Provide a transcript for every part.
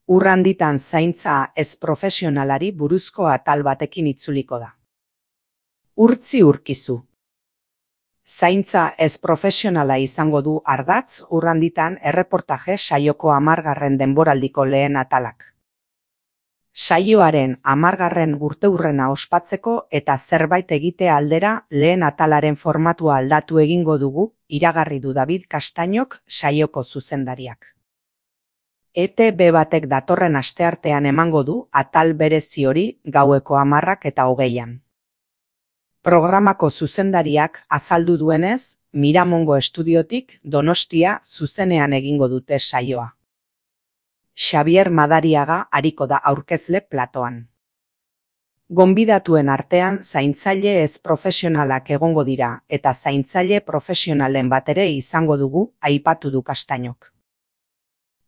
Ur handitan zaintza ez profesionalari buruzko atal batekin itzuliko da. Urtzi urkizu. Zaintza ez profesionala izango du ardatz ur handitan erreportaje saioko 10. denboraldiko lehen atalak. Saioaren 10. urteurrena ospatzeko eta zerbait egite aldera lehen atalaren formatua aldatu egingo dugu, iragarri du David Castañok saioko zuzendariak. ETB batek datorren asteartean emango du atal berezi hori gaueko 10:20. Programako zuzendariak azaldu duenez, Miramongo estudiotik Donostia zuzenean egingo dute saioa. Xabier Madariaga ariko da aurkezle platoan. Gonbidatuen artean zaintzaile ez profesionalak egongo dira eta zaintzaile profesionalen bat ere izango dugu, aipatu du Castañok.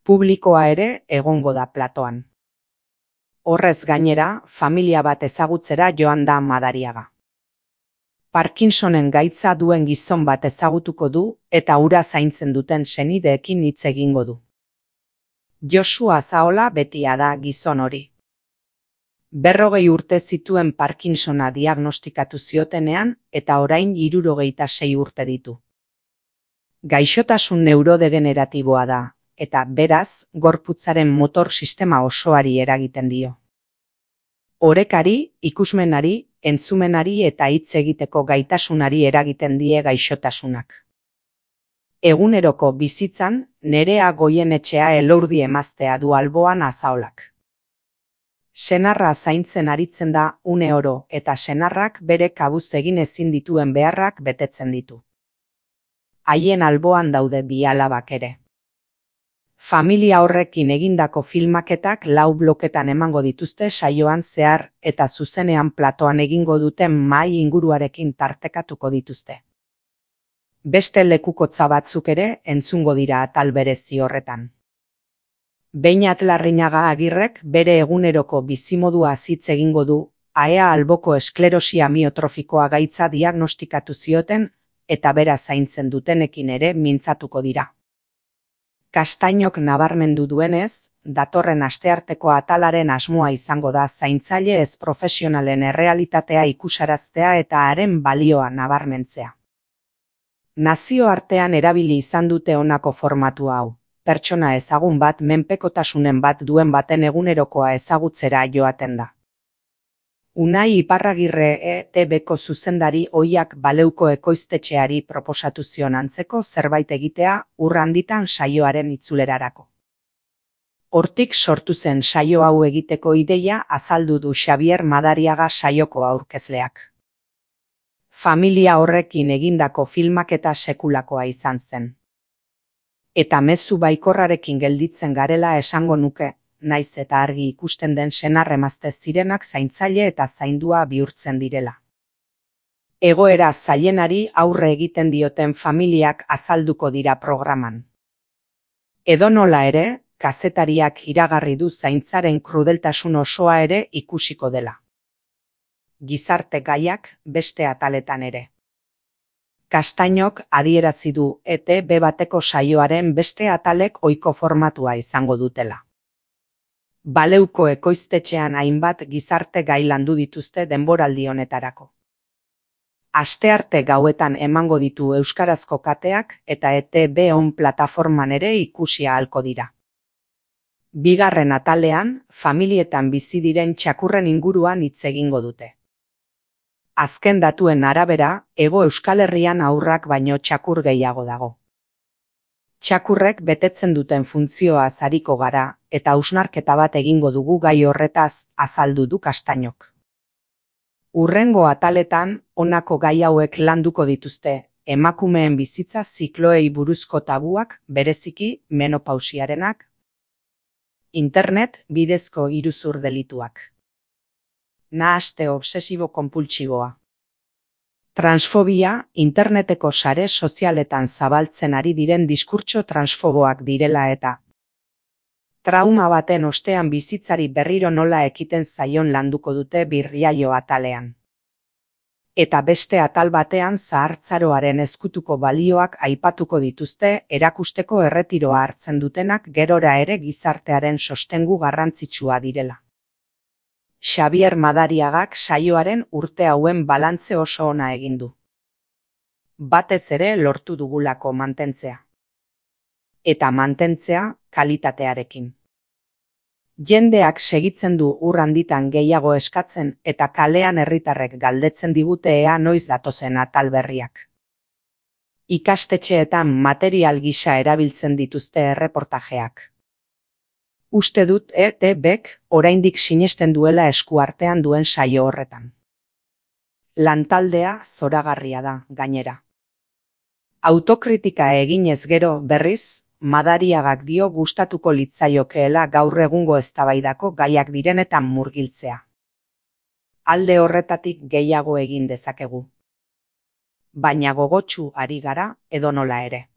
Publikoa ere egongo da platoan. Horrez gainera, familia bat ezagutzera joan da Madariaga. Parkinsonen gaitza duen gizon bat ezagutuko du eta hura zaintzen duten senideekin hitz egingo du. Josu Azaola betia da gizon hori. 40 urte zituen Parkinsona diagnostikatu ziotenean eta orain 76 urte ditu. Gaixotasun neurodegeneratiboa da, eta beraz, gorputzaren motor sistema osoari eragiten dio. Orekari, ikusmenari, entzumenari eta hitz egiteko gaitasunari eragiten die gaixotasunak. Eguneroko bizitzan, Nerea Goienetxea Elordi emaztea du alboan Azaolak. Senarra zaintzen aritzen da une oro eta senarrak bere kabuz egin ezin dituen beharrak betetzen ditu. Haien alboan daude bi alabak ere. Familia horrekin egindako filmaketak 4 bloketan emango dituzte saioan zehar eta zuzenean platoan egingo duten mahai inguruarekin tartekatuko dituzte. Beste lekukotza batzuk ere entzungo dira atal berezi horretan. Beñat Larrinaga Agirrek bere eguneroko bizimodua hitz egingo du, AEA alboko esklerosi amiotrofikoa gaitza diagnostikatu zioten eta bera zaintzen dutenekin ere mintzatuko dira. Castañok nabarmendu duenez, datorren astearteko atalaren asmoa izango da zaintzaile ez profesionalen errealitatea ikusaraztea eta haren balioa nabarmentzea. Nazioartean erabili izan dute honako formatu hau, pertsona ezagun bat menpekotasunen bat duen baten egunerokoa ezagutzera joaten da. Unai Iparragirre ETBko zuzendari ohiak Baleuko ekoiztetxeari proposatu zion antzeko zerbait egitea ur handitan saioaren itzulerarako. Hortik sortu zen saio hau egiteko ideia azaldu du Xabier Madariaga saioko aurkezleak. Familia horrekin egindako filmaketa sekulakoa izan zen. Eta mezu baikorrarekin gelditzen garela esango nuke, naiz eta argi ikusten den senar emazte zirenak zaintzaile eta zaindua bihurtzen direla. Egoera zailenari aurre egiten dioten familiak azalduko dira programan. Edonola ere, kazetariak iragarri du zaintzaren krudeltasun osoa ere ikusiko dela. Gizarte gaiak beste ataletan ere. Castañok adierazi du ETB bateko saioaren beste atalek ohiko formatua izango dutela. Baleuko ekoiztetxean hainbat gizarte gai landu dituzte denboraldi honetarako. Astearte gauetan emango ditu euskarazko kateak eta ETB on plataforman ere ikusi ahalko dira. Bigarren atalean, familietan bizi diren txakurren inguruan hitz egingo dute. Azken datuen arabera, Hego Euskal Herrian haurrak baino txakur gehiago dago. Txakurrek betetzen duten funtzioaz ariko gara eta hausnarketa bat egingo dugu gai horretaz, azaldu du Castañok. Hurrengo ataletan, honako gai hauek landuko dituzte, emakumeen bizitza zikloei buruzko tabuak, bereziki menopausiarenak, internet bidezko iruzur delituak. Nahaste obsesibo-konpultsiboa. Transfobia, interneteko sare sozialetan zabaltzen ari diren diskurtso transfoboak direla eta trauma baten ostean bizitzari berriro nola ekiten zaion landuko dute birriaio atalean. Eta beste atal batean zahartzaroaren ezkutuko balioak aipatuko dituzte erakusteko erretiroa hartzen dutenak gerora ere gizartearen sostengu garrantzitsua direla. Xabier Madariagak saioaren urte hauen balantze oso ona egin du. Batez ere lortu dugulako mantentzea. Eta mantentzea kalitatearekin. Jendeak segitzen du ur handitan gehiago eskatzen eta kalean herritarrek galdetzen digute ea noiz datozen atal berriak. Ikastetxeetan material gisa erabiltzen dituzte erreportajeak. Uste dut ETBk oraindik sinesten duela eskuartean duen saio horretan. Lantaldea zoragarria da, gainera. Autokritika eginez gero, berriz, Madariagak dio gustatuko litzaiokeela gaur egungo eztabaidako gaiak direnetan murgiltzea. Alde horretatik gehiago egin dezakegu. Baina gogotsu ari gara edonola ere.